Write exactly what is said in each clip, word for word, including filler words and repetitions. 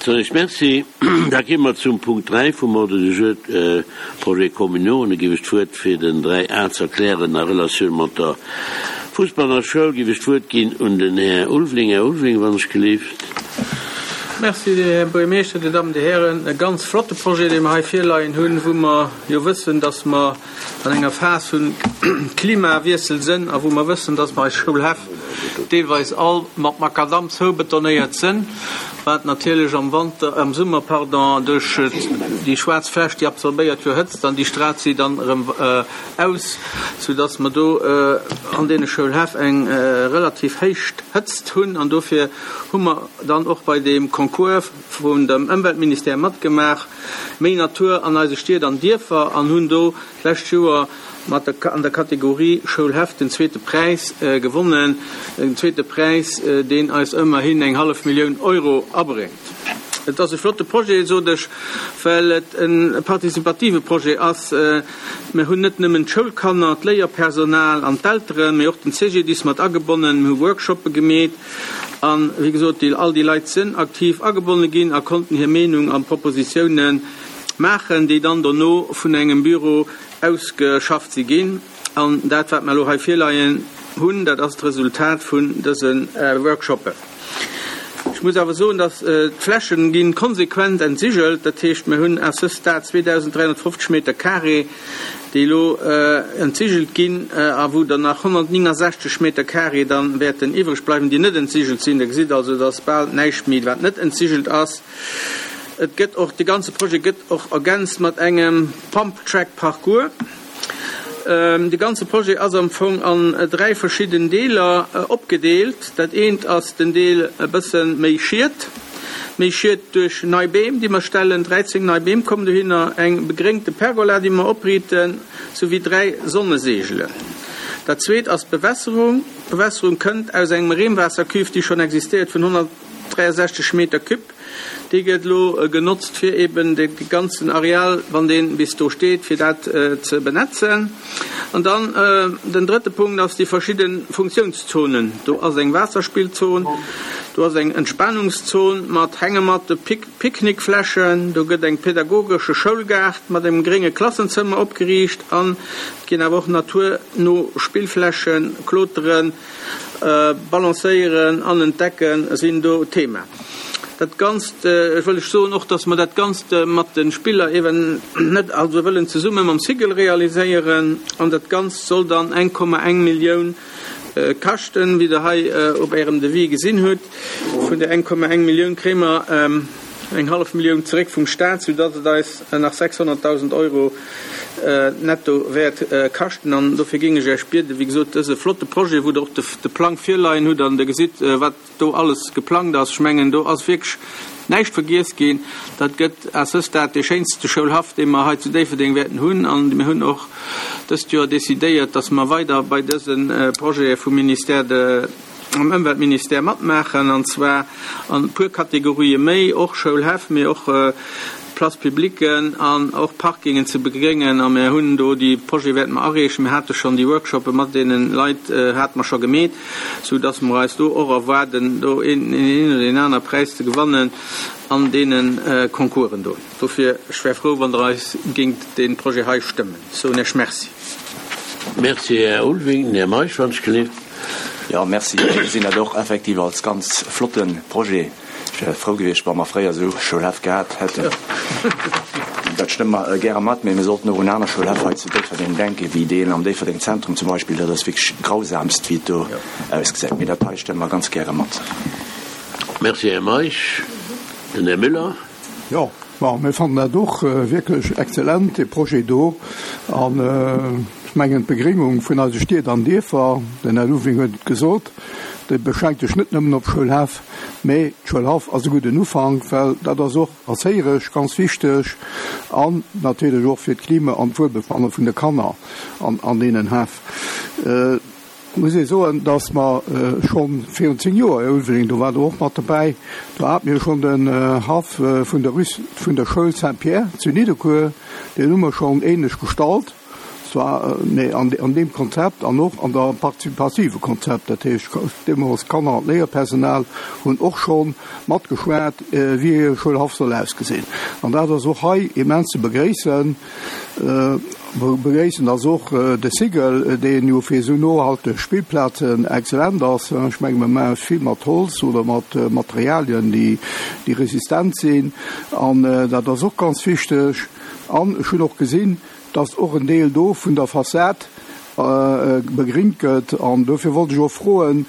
Soen ech Merci. Da gi mer zum Punkt dräi vum Ordre du jour, Projets communaux. An da géif ech d'Wuert, fir den dräi A ze erklären a Relatioun mat der Fussballer Schoul, géif ech d'Wuert ginn un den Här Ulveling. Här Ulveling, wann ech gelift. Merci, Här Buergermeeschter, Dir Dammen, Dir Hären. E ganz flotte Projet, dee mer hei virleien hunn, wou mer jo wëssen, dass mer an enger Phas vun Klimawiessel sënn a wou mer wëssen, dass mer eis Schoulhäff deelweis all mat Makadamm zoubetonéiert sënn, wat natierlech am Wanter, am Summer, pardon, duerch déi schwaarz Fläch, déi absorbéiert jo Hëtzt an déi straalt si dann erëm aus, soudass mer do an deene Schoulhäff eng relativ héich Hëtzt hunn. An dofir hu mer dann och bei deem Concours vun dem Ëmweltministère matgemaach, Méi Natur an eise Stied an Dierfer, an hunn do d'lescht Joer mat der an der Kategorie Schoulhäff den zweete Präis gewonnen, en zweete Präis, deen eis ëmmerhin eng hallef Millioun Euro abréngt. Et ass e flotte Projet, sot ech, well et e participative Projet ass. Mir hunn net nëmmen d'Schoulkanner, d'Léierpersonal an d'Elteren, mee och den C G D I S mat agebonnen. Mir hu Workshoppe gemeet an, wéi gesot, déi all déi Leit sinn aktiv agebonne ginn a konnten hir Meenung an Propositiounen maachen, déi dann dono vun engem Büro ausgeschafft si ginn. An dat, wat mer elo hei virleien hunn, dat ass d'Resultat vun dëse Workshoppen. Ech muss awer soen, dass d'Flächen ginn konsequent entsigelt. Dat heescht, mir hunn à ce stade zweedausend dräihonnertfofzeg Meter carré, déi elo entsigelt ginn a wou dann nach honnertnéngensechzeg Meter carré dann wäerten iwwreg bleiwen, déi net entsigelt sinn. Der gesitt also, dass bal näischt méi, wat net entsigelt ass. Et gëtt och, de ganze Projet gëtt och ergänzt mat engem Pump-Track-Parcours. De ganze Projet ass am Fong an dräi verschidden Deeler opgedeelt. Dat eent ass den Deel e bësse méi Schied, méi Schied duerch nei Beem, déi mer stellen. dräizéng nei Beem kommen dohinner, eng begréngte Pergola, déi mer opriiten, souwéi dräi Sonneseegelen. Dat zweet ass d'Bewässerung. D'Bewässerung kënnt aus engem Reemwaassercuve, déi schonn existéiert, vun honnertdräiasechzeg Meter cube. Déi gëtt elo genotzt, fir eben de ganzen Areal, wann dee bis do steet, fir dat ze benetzen. An dann den drëtte Punkt ass déi verschidde Funktiounszonen. Do ass eng Waasserspillzon, do ass eng Entspanungszon mat Hängematte, Picknickflächen, do gëtt eng pädagogesche Schoulgaart mat engem grénge Klassenzëmmer opgeriicht an et ginn awer och naturno Spillflächen, Kloteren, Balancéieren an Entdecken sinn do Thema. Dat Ganzt, ech wëll ech soen och, dass mer dat Ganzt mat de Spiller eben net, also wëllen zesumme mam Cigl realiséieren an dat Ganzt soll dann eng Komma eng Millioun kaschten, wéi Der hei op Ärem Devis gesinn hutt. Vun där eng Komma eng Millioun kréie mer eng hallef Millioun zeréck vum Staat, soudatt et eis nach sechshonnertdausend Euro netto wäert kaschten. An dofir géing ech Iech bieden, wéi gesot, dëse flotte Projet, wou Der och de Plang virleien hutt an Der gesitt, wat do alles geplangt ass, ech mengen, do ass wierklech näischt vergiess ginn. Dat gëtt à ce stade dee schéinste Schoulhaff, dee mer hei zu Déifferdeng wäerten hunn. An mir hunn och dëst Joer decidéiert, dass mer weider bei dëse Projete vum Ministère de am Ëmweltministère matmaachen, an zwar an e puer Kategorië méi, och Schoulhäff, mee och Places publiques an och Parkingen ze begréngen. A mir hunn do déi Projete wäerte mer areechen. Mir hate schonn déi Workshoppe mat deene Leit hate mer scho gemeet, soudass mer eis do och erwaarden, do een een oder deen aner Präis ze gewannen an deene Concoursen do. Dofir, ech wär frou, wann Der eis géingt dee Projet hei stëmmen. Soen Iech Merci. Merci, Här Ulveling. Här Meisch, wann ech gelift. Jo, merci. Ech gesinn dat och effektiv als ganz flotte Projet. Ech wär frou gewiescht, wa mer fréier esou Schoulhäff gehat hätten. Dat stëmme mer gäre mat, mee mir sollten och un aner Schoulhäff hei zu Déifferdeng denken, wéi deen am Déifferdeng Zentrum zum Beispill. Dat ass wierklech grausamst, wéi et do ausgesäit. Mee dat hei stëmme mer ganz gäre mat. Merci, Här Meisch. Den Här Müller. Jo, bon, mir fannen dat och wierklech exzellent, dee Projet do. An ech mengen, d'Begréngung vun eise Stied an Dierfer, den Här Ulveling huet et gesot, déi beschränkt sech net nëmmen op Schoulhäff, mee d'Schoulhaff ass e gudden Ufank, well dat ass och erzéieresch ganz wichteg an natierlech och fir d'Klima an d'Wuelbefanne vun de Kanner an an deenen Häff. Et muss ee soen, dass mer scho virun zéng Joer, Här Ulveling, do waart Der och mat dobäi, do hate mir schonn den Haff vun der Rue vun der Schoul Saint-Pierre zu Nidderkuer, deen hu mer schonn ähnlech gestallt. Zwar mee an an deem Konzept an och an der partizipative Konzept, dat heescht deemools d'Kanner an d'Léierpersonal hunn och scho matgeschwat, wéi hire Schoulhaff soll ausgesinn. An dat ass och hei immens ze begréissen. Begréissen ass och de Sigel, deen jo fir esou nohalteg Spillplazen excellent ass. Ech menge mer maache vill mat Holz oder mat Materialien, déi déi resistent sinn. An dat ass och ganz wichteg. An ech hunn och gesinn, dass och en Deel do vun der Fassad begringt gëtt. An dofir wollt ech och froen,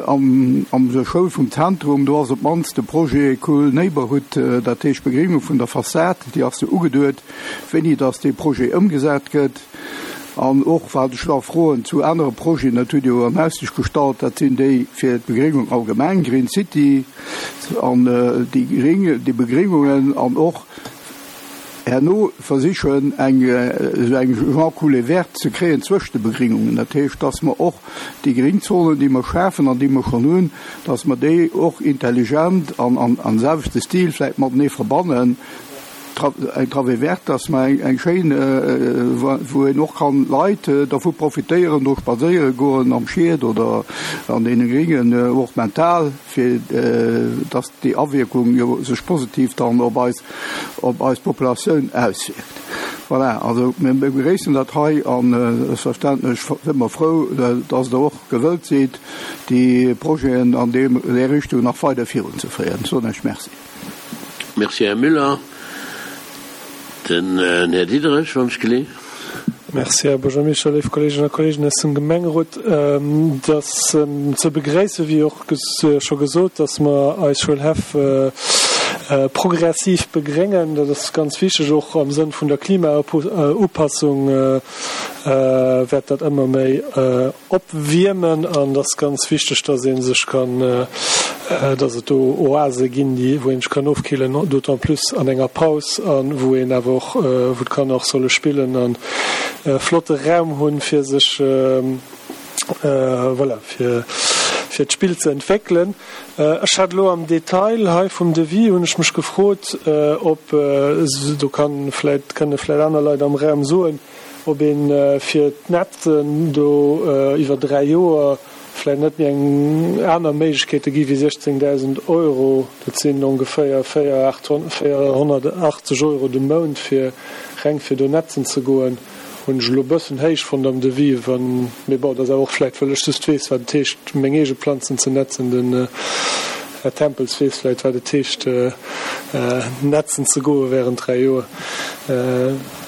am am der Schoul vum Zentrum, do ass op d'mannst de Projet Cool Neighborhood, dat heescht Begringung vun der Fassad, déi ass jo ugeduet, wéini dass dee Projet ëmgesat gëtt. An och wat ech nach froen zu anere Projeten, dat hutt Dir jo an Aussicht gestallt, dat sinn déi fir d'Begringung allgemeng, Green City an déi Gring, déi Begringungen an och herno versichen, eng esou eng genre Coulée verte ze kréien zwëscht de Begringungen. Dat heescht, dass mer och déi Gringzonen, déi mer schafen an déi mer schonn hunn, dass mer déi och intelligent an am selwechte Stil vläicht matenee verbannen, eng Travée verte, dass mer eng schéin, wou een och kann Leit dervu profitéieren, do spadséiere goen am Schied oder an deene Gringen, och mental, fir dass déi Awierkung jo sech positiv dann op eis, op eis Populatioun auswierkt. Voilà, also mir begréissen dat hei an selbstverständlech si mer frou, dass Der och gewëllt sidd, déi Projeten an deem, där Richtung nach weider virunzeféieren. Soen ech Merci. Merci, Här Müller. Den Här Diderich, wann ech geleeën. Merci, Här Buergermeeschter, léif Kolleeginnen a Kolleegen aus dem Gemengerot. Et ass ze begréissen, wéi och scho gesot, dass mer eis Schoulhäff progressiv begréngen. Dat ass ganz wichteg, och am Sënn vun der Klimaupassung wäert dat ëmmer méi opwiermen. An et ass ganz wichteg, dass ee sech kann, dass et do Oase ginn, déi, wou een sech kann ofkillen, d'autant plus an enger Paus, a wou een awer och, wou d'Kanner och solle spillen an e flotte Raum hunn, fir sech, voilà, fir, fir d'Spill ze entwéckelen. Ech hat elo am Detail hei vum Devis, hunn ech mech gefrot, ob, do kann vläicht, kënne vläicht aner Leit am Raum soen, ob ee fir d'Netzen do iwwer dräi Joer vläicht net méi eng aner Méiglechkeete gi wéi siechzéngdausend Euro, dat sinn ongeféier véierhonnertachtzeg Euro de Mount fir reng fir do netzen ze goen, hunn ech elo e bëssen héich fonnt am Devis, wann, mee bon, dat ass awer och vläicht, well ech just weess, wat et heescht, meng eege Planzen ze netzen. Den Här Tempels weess vläicht, wat et heescht, netzen ze goe während dräi Joer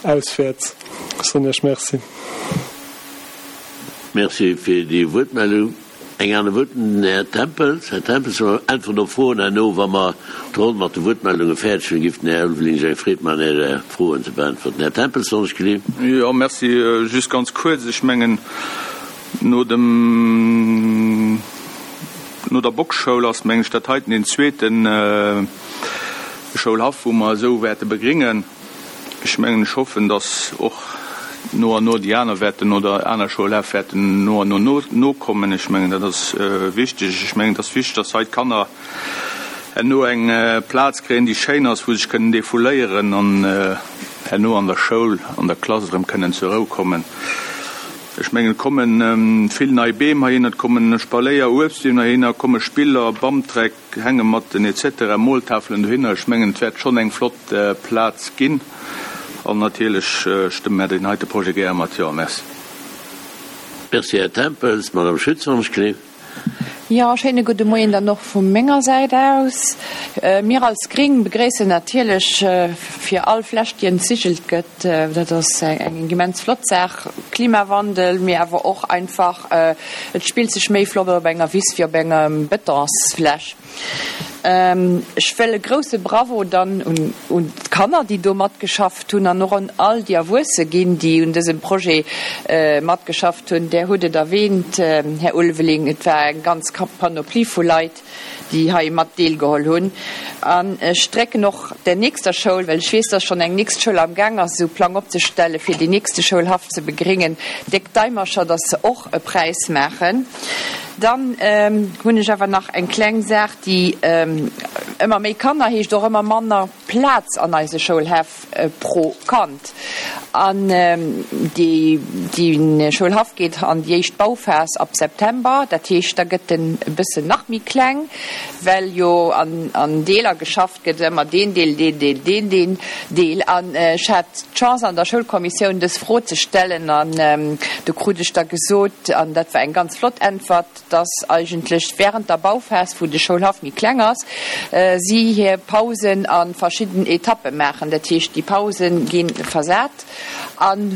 auswäerts. Soen Iech Merci. Merci fir déi Wuertmeldung. Eng aner Wuert, den Här Tempels. Här Tempels, mer äntweren op Froen herno, wa mer d'Ronn mat de Wuertmeldunge fäerdeg hunn, giff den Här Ulveling sech eng Freed maachen, Är Froen ze beäntwerten. Här Tempels, soll ech geleeën? Jo, merci. Just ganz kuerz, ech mengen, no dem, no der Boxschoul ass, mengen ech, dat heiten deen zweete Schoulhaff, wou mer esou wäerte begringen. Ech mengen, ech hoffen, dass och no an no déi aner wäerten oder aner Schoulhäff wäerten no an no nokommen. Ech mengen, dat ass wichteg. Ech mengen, et ass wichteg, dass hei d'Kanner herno eng Plaz kréien, déi schéin ass, wou se sech kënnen defouléieren an herno an der Schoul, an der Klass erëm kënnen zur Rou kommen. Ech mengen, et komme vill nei Beem heihinner, et kommen Spaléier, Uebstbeem heihinner, et komme Spiller, Bamtreck, Hängematten et cetera, Moltafelen dohinner. Ech mengen, et wäert schonn eng flott Plaz ginn. An natierlech stëmme mär deen heite Projet gäre mat Jo. Merci. Merci, Här Tempels. Madame Schütz, wann ech gleef. Jo, schéine gudde Moien dann och vu menger Säit aus. Mir als Gring begréissen natierlech fir all Fläch, déi entsigelt gëtt, dat ass eng immens flott Saach, Klimawandel, mee awer och einfach, et spillt sech méi flott op enger Wiss wéi op enger Betonsfläch. Ech wëll e grouse Bravo dann un un d'Kanner, déi do matgeschafft hunn, an och un all déi Erwuesse ginn, déi un dësem Projet matgeschafft hunn. Där hutt et erwähnt, Här Ulveling, et war eng ganz Panoplie vu Leit, déi hei mat deelgeholl hunn. An ech drécken och der nächster Schoul, well ech weess, dass schonn eng nächst Schoul am Gaang ass, esou Plang opzestellen, fir deen nächste Schoulhaff ze begréngen, déck Daimercher, dass se och e Präis maachen. Dann hunn ech awer nach eng kleng Saach, déi ëmmer méi Kanner heescht och ëmmer manner Plaz an eise Schoulhäff pro Kand. An dee Schoulhaff geet an déi éischt Bauphas ab September. Dat heescht, da gëtt en e bëssen nach méi kleng, well jo an Deeler geschafft gëtt, ëmmer deen Deel, deen Deel, deen deen Deel. An ech hat d'Chance an der Schoulkommissioun dës Fro ze stellen an do krut ech da gesot, an dat war eng ganz flott Äntwert, dass eigentlech während der Bauphas, wou de Schoulhaff méi kleng ass, si hir Pausen a verschidden Etappe maachen. Dat heescht, déi Pause gi versat an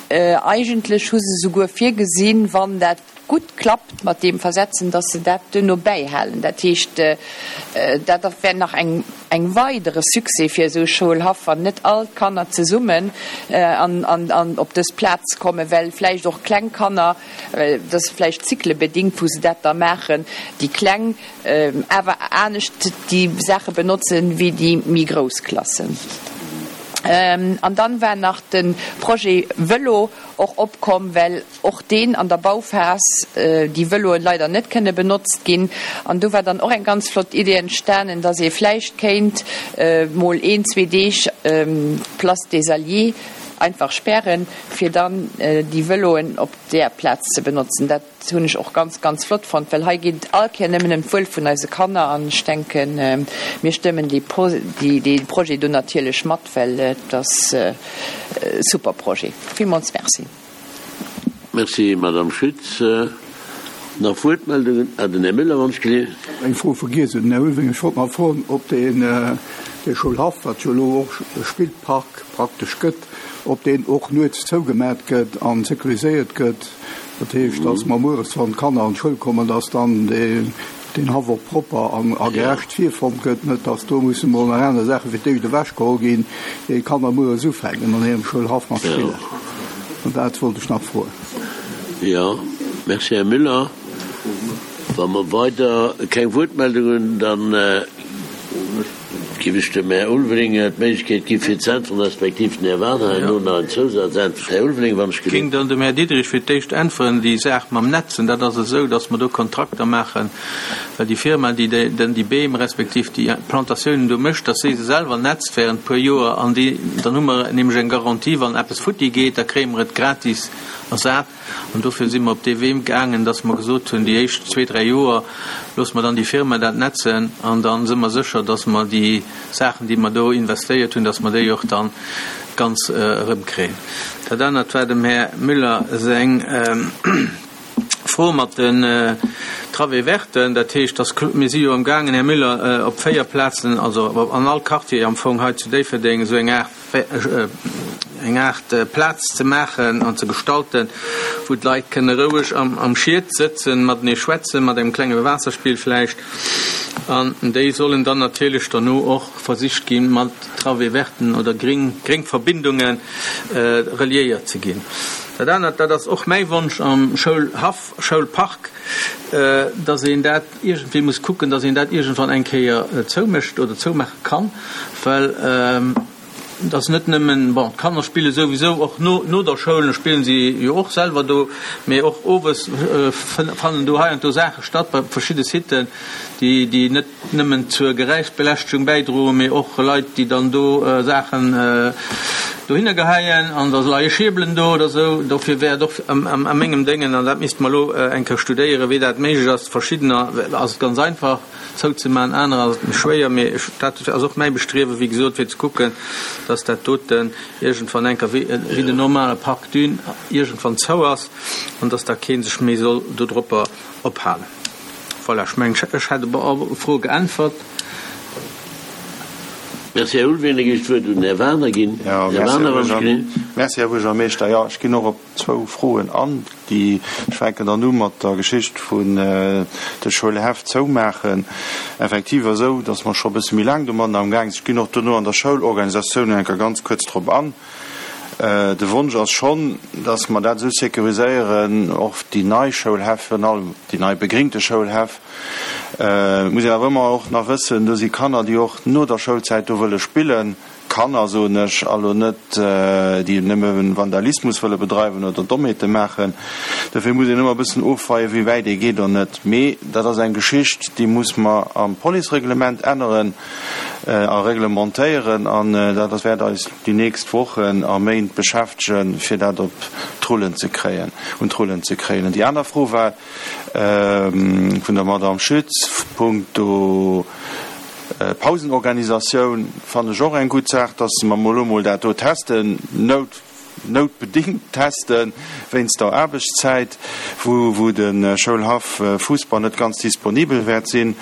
eigentlech hu se souguer virgesinn, wann dat gutt klappt mat deem Versetzen, dass se dat duerno bäihalen. Dat heescht, dat wär nach eng eng weidere Succès fir esou e Schoulhaff, wann net all d'Kanner zesummen an an op dës Plaz kommen, well vläicht och kleng Kanner, dat ass vläicht cyclebedingt, wou se dat da maachen, déi Kleng awer anescht déi Saache benotzen wéi déi méi grouss Klassen. An dann war nach de Projet Vëlo och opkomm, well och deen an der Bauphas déi Vëloen leider net kënne benotzt ginn. An do war dann och eng ganz flott Idee entstanen, dass ee vläicht kéint mol een, zwee Deeg d'Place des Alliés einfach spären, fir dann déi Vëloen op där Plaz ze benotzen. Dat hunn ech och ganz, ganz flott fonnt, well hei geet et all Kéier nëmmen ëm d'Wuel vun eise Kanner an ech denken, mir stëmmen dee Projet do natierlech mat, well et ass e super Projet. Villmools Merci. Merci, Madame Schütz. Nach Wuertmeldungen? Ah, den Här Müller, wann ech gelift. Eng Fro vergiess, den Här Ulveling. Ech wollt nach froen, ob deen Schoulhaff, wat jo elo och e Spillpark praktesch gëtt, ob deen och nuets zougemat gëtt a sécuriséiert gëtt. Dat heescht, dass mer mueres, wann d'Kanner an d'Schoul kommen, dass dann deen Haff och propper a gerecht virfonnt gëtt, net dass do musse mol nach aner Saache fir d'éischt ewechgeholl ginn, ier d'Kanner mueres ufänken an hirem Schoulhaff mat spillen. An dat wollt ech nach froen. Jo, merci, Här Müller. Wa mer weider keng Wuertmeldung hunn, da géif ech dem Här Ulveling d'Méiglechkeet gi fir ze äntweren, respektiv den Här Wagner herno nach eng Zousatzäntwert. Här Ulveling, wann ech Géing gelift. dann dem Här Diderich fir d'éischt äntweren. Déi Saach mam Netzen, dat ass esou, datt mer do Kontrakter maachen, well déi Firma, déi dann déi Beem respektiv déi Plantatiounen do mécht, datt si se selwer netzt während e puer Joer an déi, dann hu mer nämlech eng Garantie, wann eppes futti geet, da kréie mer et gratis ersat. An dofir si mer op dee Wee gaangen, dass mer gesot hunn, déi éischt zwee, dräi Joer loosse mer dann déi Firma dat netzen an da si mer sécher, dass mer déi Saachen, déi mer do investéiert hunn, dass mer déi och dann ganz erëmkréien. Dat anert war dem Här Müller seng Fro mat den Travées verten. Dat heescht, dass mir si jo amgaangen, Här Müller, op véier Plazen, also an all Quartier am Fong hei zu Déifferdeng esou eng Aart eng Aart Plaz ze maachen an ze gestalten, wou d'Leit kënne roueg am Schiet sëtzen, matenee schwätzen, mat engem klenge Waasserspill vläicht. An déi sollen dann natierlech derno och versicht ginn, mat Travées verten oder gréng Verbindunge reliéiert ze ginn. Dat anert, dat ass och mäi Wonsch am Schoulhaff, Schoulpark, dass een dat iergendwéi muss kucken, dass een dat iergendwann eng Kéier zoumécht oder zoumaache kann, well et ass net nëmmen, bon, d'Kanner spille souwisou och no, no der Schoul spillen si jo och selwer do, mee och owes fannen do hei an do Saache statt bei verschidde Siten, déi, déi net nëmmen zur Geräischbeläschtegung bäidroen, mee och Leit, déi dann do Saachen dohinner geheien an da leie Schierbelen do oder esou. Dofir wär et och a mengem Déngen, an dat misste mer elo eng Kéier studéieren, wéi dat méiglech ass, verschiddener ass et ganz einfach zouzemaachen, anerer ass et méi schwéier, mee dat ass och mäi Bestriewen, wéi gesot, fir ze kucken, dass dat doten iergendwann eng Kéier wéi den normale Parc Dune iergendwann zou ass an dass da kee sech méi soll dodropper ophalen. Voilà, ech mengen, ech hätt op all Fro geäntwert. Merci, Här Ulveling. Da géif ech d'Wuert un den Här Wagner ginn. Här Wagner, wann ech gelift. Merci, Här Buergermeeschter. Jo, ech ginn och op zwou Froen an. Déi, ech fänken dann u mat der Geschicht vun de Schoulhäff zoumaachen. Effektiv ass esou, datt mer scho e bësse méi laang domadden amgaang sinn. Ech ginn och dono an der Schoulorganisatioun eng Kéier ganz kuerz drop an. De Wonsch ass schonn, datt mer dat esou sécuriséieren, och déi nei Schoulhäff, virun allem déi nei begringte Schoulhäff. Et muss een awer ëmmer och nach wëssen, do si Kanner, déi och no der Schoulzäit do wëlle spillen. Kanner, soen ech, a lo net déi nëmme Vandalismus wëlle bedreiwen oder Dommheete maachen. Dofir muss een ëmmer e bëssen ofweien, wéi wäit ee geet oder net. Mee dat ass eng Geschicht, déi muss mer am Policereglement änneren a reglementéieren an dat ass wäert eis déi nächst Wochen a Méint beschäftegen, fir dat op d'Rullen ze kréien, un d'Rullen ze kréien. An déi aner Fro war vun der Madame Schütz punkto Pausenorganisatioun. Fannen ech och eng gutt Saach, dass mer elo mol dat do testen, nout noutbedingt testen, wéinst der Aarbechtszäit, wou wou de Schoulhaff Fussball net ganz disponibel wäert sinn.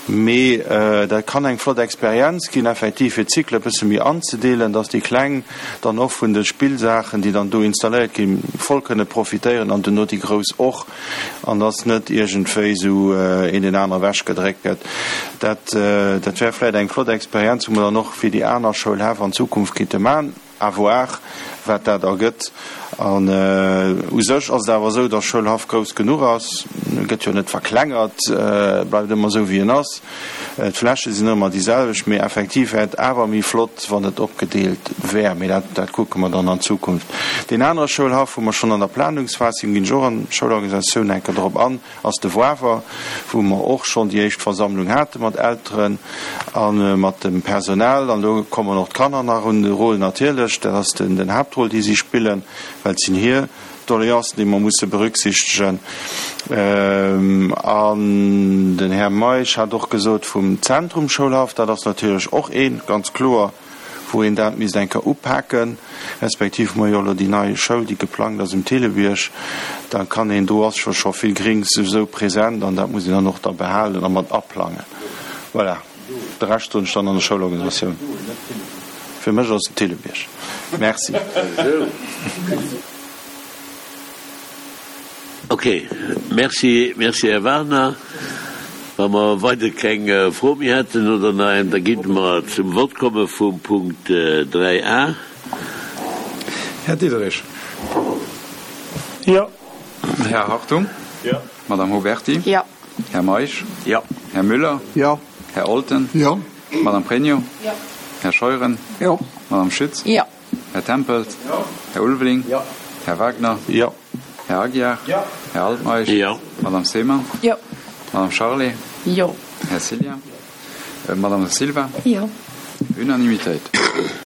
Mee dat kann eng flott Experienz ginn, effektiv fir d'Cycle e bësse méi anzedeelen, dass déi Kleng dann och vun de Spillsaachen, déi dann do installéiert ginn, voll kënne profitéieren an duerno déi Grouss och, an dass net iergendwéi esou een deen anere ewechgedréckt gëtt. Dat dat wär vläicht eng flott Experienz, wou mer dann och fir déi aner Schoulhäff an Zukunft kéinte maachen. À voir, wat dat ergëtt. An u sech ass et awer esou, dass Schoulhaff grouss genuch ass. E gëtt jo net verklengert, e bleift ëmmer esou, wéi en ass. D'Fläche sinn ëmmer déi selwecht. Mee effektiv wär et awer méi flott, wann et opgedeelt wär. Mee dat, dat kucke mer dann an Zukunft. Deen anere Schoulhaff, wou mer schonn an der Planungsphas sinn, ginn ech och an d'Schoulorganisatioun enke drop an, ass de Wawer, wou mer och schonn déi éischt Versammlung hate mat Elteren a mat dem Personal. An do kommen och d'Kanner nach un de Rôle natierlech. Dat ass den Haaptrôle, dee si spillen, well et sinn hir Doleancen, déi mer musse berücksichtegen. An den Här Meisch hat och gesot vum Zentrum Schoulhaff, dat ass natierlech och ee ganz kloer, wou een dat misst eng Kéier upaken, respektiv hu mer jo elo déi nei Schoul, déi geplangt ass um Thillebierg, da kann een, do ass jo scho vill Grings souwisou present an dat muss een dann och da behalen a mat aplangen. Voilà, de Rescht soen ech dann an der Schoulorganisatioun. Fir mech ass et den Thillebierg. Merci. Ok, merci, merci Här Wagner. Wa mer weider keng Fro méi hätten oder nach eng, da géinte mer zum Vott komme vum Punkt dräi a. Här Diderich. Jo. Här Hartung. Jo. Madame Huberty. Jo. Här Meisch. Jo. Här Müller. Jo. Här Olten. Jo. Madame Pregno. Jo. Här Scheuren. Jo. Madame Schütz. Jo. Här Tempels. Jo. Här Ulveling. Jo. Här Wagner. Jo. Här Aguiar. Jo. Här Altmeisch. Jo. Madame Seymann. Jo. Madame Charlé. Jo. Här Cillien. Madame Silva. Jo. Unanimitéit.